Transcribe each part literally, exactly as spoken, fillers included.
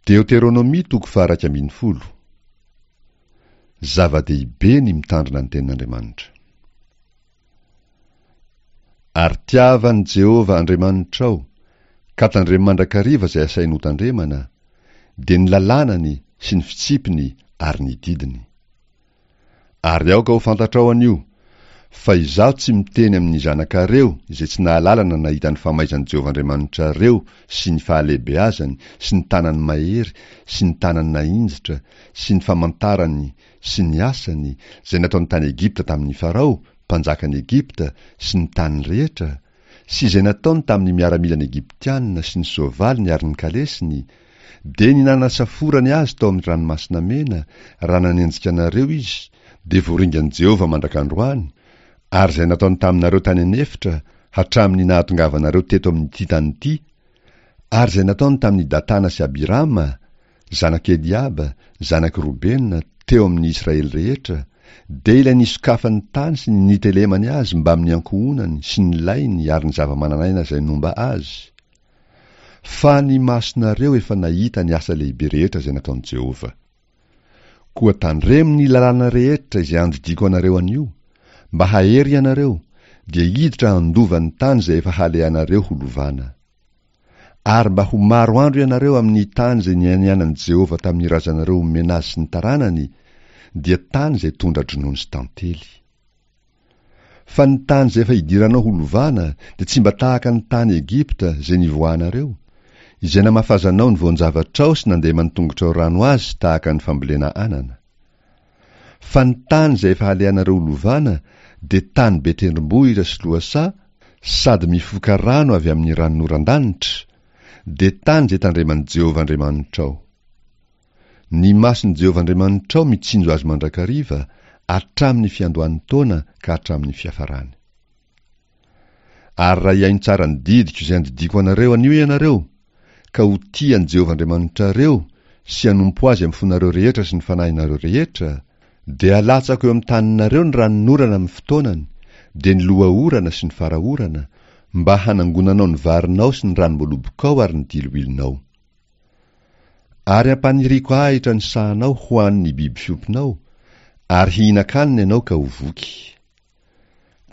Deoteronomia toko faha-iraika ambin'ny folo. Zava-dehibe ny mitandrina ny tenin'Andriamanitra. Ary tiava an'i Jehovah Andriamanitrao, ka tandremo mandrakariva izay asainy hotandremana, dia ny lalànany sy ny fitsipiny ary ny didiny. Ary aoka ho fantatrao anio, fa izaho tsy miteny amin'ny zanakareo izay tsy nahalala na nahita ny famaizan'i Jehovah Andriamanitrareo sy ny fahalehibeazany sy ny tanany mahery sy ny tanany nahinjitra sy ny famantarany sy ny asany izay nataony tany Egypta tamin'i Farao, mpanjakan'i Egypta, sy ny taniny rehetra, sy izay nataony tamin'ny miaramilan'ny Egyptiana sy ny soavaliny ary ny kalesiny, dia ny nanasaforany azy tao amin'ny Ranomasina Mena, raha nanenjika anareo izy, dia voaringan'i Jehovah mandrak'androany, ary izay nataony taminareo tany an'efitra, hatramin'ny nahatongavanareo teto amin'ity tany ity, ary izay nataony tamin'i Datana sy Abirama, zanak'i Eliaba, zanak'i Robena, teo amin'ny Israely rehetra, dia ilay nisokafan'ny tany sy ny nitelemany azy mbamin'ny ankohonany sy ny lainy ary ny zava-manan'aina izay nomba azy. Fa ny masonareo efa nahita ny asa lehibe rehetra izay nataon'i Jehovah. Koa tandremo ny lalàna rehetra izay andidiako anareo anio, mba hahery ianareo, dia hiditra handova ny tany izay efa halehanareo ho lovana. Ary mba ho maro andro ianareo amin'ny tany izay nianianan'i Jehovah tamin'ny razanareo homena azy sy ny taranany, dia tany izay tondra-dronono sy tantely. Fa ny tany izay efa hidiranao ho lovana dia tsy mba tahaka ny tany Egypta izay nivoahanareo, izay namafazanao ny voan-javatrao sy nandeman'ny tongotrao rano azy tahaka ny fambolena anana. Fa ny tany izay efa halehanareo ho lovana dia tany be tendrombohitra sy lohasaha sady mifoka rano avy amin'ny ranonoran-danitra, dia tany izay tandreman'i Jehovah Andriamanitrao. Ny mason'i Jehovah Andriamanitrao mitsinjo azy mandrakariva, hatramin'ny fiandohan'ny taona ka hatramin'ny fiafarany. Ary raha hihaino tsara ny didiko izay andidiako anareo anio ianareo, ka ho tia an'i Jehovah Andriamanitrareo sy hanompo azy amin'ny fonareo rehetra sy ny fanahinareo rehetra, dia halatsako eo amin'ny taninareo ny ranonorana amin'ny fotoanany, dia ny loha-orana sy ny fara-orana, mba hanangonanao ny varinao sy ny ranom-boalobokao ary ny diloilonao. Ary hampaniriako ahitra ny sahanao ho an'ny biby fiompinao, ary hihinan-kanina ianao ka ho voky.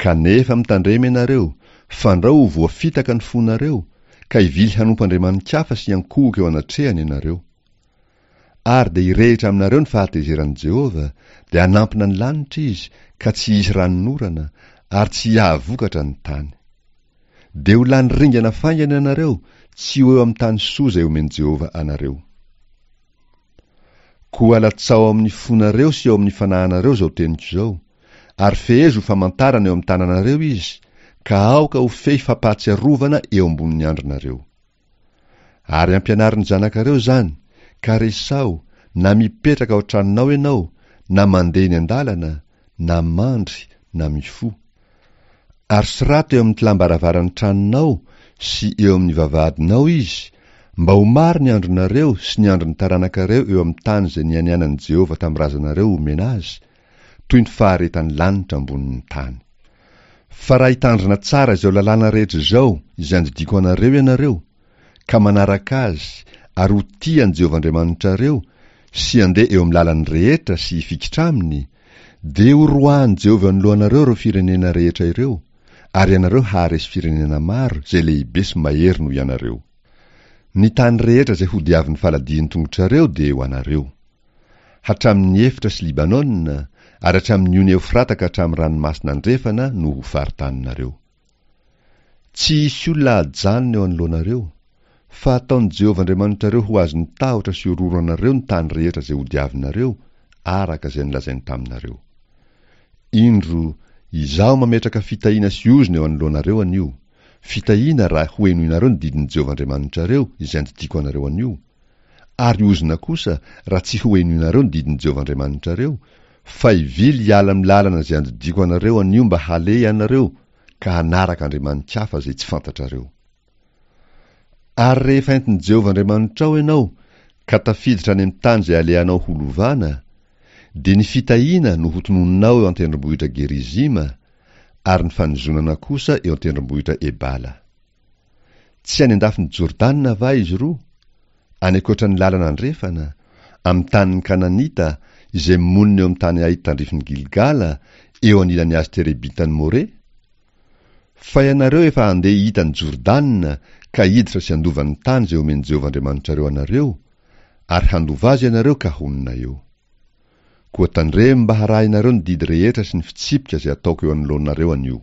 Kanefa mitandrema ianareo, fandrao ho voafitaka ny fonareo, ka hivily hanompo andriamani-kafa sy hiankohoka eo anatrehany ianareo. Ary dia hirehitra aminareo ny fahatezeran'i Jehovah, dia hanampina ny lanitra izy, ka tsy hisy ranonorana, ary tsy hiahavokatra ny tany. Dia ho lany ringana faingana ianareo, tsy ho eo amin'ny tany soa izay omen'i Jehovah anareo. Koa alatsao ao amin'ny fonareo sy ao amin'ny fanahinareo izao teniko izao, ary fehezo ho famantarana eo amin'ny tananareo izy, ka aoka ho fehy fampahatsiarovana eo ambonin'ny andrinareo. Ary ampianaro ny zanakareo izany, ka resaho, na mipetraka ao an-tranonao ianao, na mandeha eny an-dalana, na mandry, na mifoha. Ary soraty eo amin'ny tlam-baravaran'ny tranonao sy eo amin'ny vavahadinao izy, mba ho maro ny andronareo sy ny andron'ny taranakareo eo amin'ny tany izay nianianan'i Jehovah tamin'ny razanareo homena azy, toy ny faharetan'ny lanitra ambonin'ny tany. Fa raha hitandrina tsara izao lalàna rehetra izao izay andidiako anareo ianareo, ka manaraka azy ary ho tia an'i Jehovah Andriamanitrareo sy handeha eo amin'ny lalany rehetra sy hifikitra aminy, dia horoahin'i Jehovah eo anoloanareo ireo firenena rehetra ireo, ary ianareo haharesy firenena maro izay lehibe sy mahery noho ianareo. Ny tany rehetra izay hodiavin'ny faladian'ny tongotrareo dia ho anareo. Hatramin'ny efitra sy Libanona, ary hatramin'ny ony Eofrata ka hatramin'ny ranomasina andrefana no ho faritaninareo. Tsy hisy olona hajanona eo anoloanareo, fa hataon'i Jehovah Andriamanitrareo ho azon'ny tahotra sy horohoro anareo ny tany rehetra izay hodiavinareo, araka izay nolazainy taminareo. Indro, izaho mametraka fitahiana sy ozona eo anoloanareo anio, fitahiana raha hohenoinareo ny didin'i Jehovah Andriamanitrareo izay andidiako anareo anio, ary ozona kosa raha tsy hohenoinareo ny didin'i Jehovah Andriamanitrareo, fa hivily hiala amin'ny lalana izay andidiako anareo anio mba haleha ianareo ka hanaraka andriamani-kafa izay tsy fantatrareo. Ary rehefa entin'i Jehovah Andriamanitrao ianao ka tafiditra any amin'ny tany izay alehanao ho lovana, dia ny fitahiana no hotononinao eo an-tendrombohitra Gerizima, ary ny fanozonana kosa eo an-tendrombohitra Ebala. Tsy any an-dafin'i Jordana va izy roa? any ankoatra ny lalana andrefana, amin'ny tanin'ny Kananita, izay monina eo amin'ny tany Ay tandrifin'i Gilgala, eo anilan'ny hazo terebintan'i More? Fa ianareo efa handeha hita an'i Jordana ka hiditra sy handova ny tany izay omen'i Jehovah Andriamanitrareo anareo, ary handova azy ianareo ka honina eo. Koa tandremo mba harahinareo ny didy rehetra sy ny fitsipika izay ataoko eo anoloanareo anio.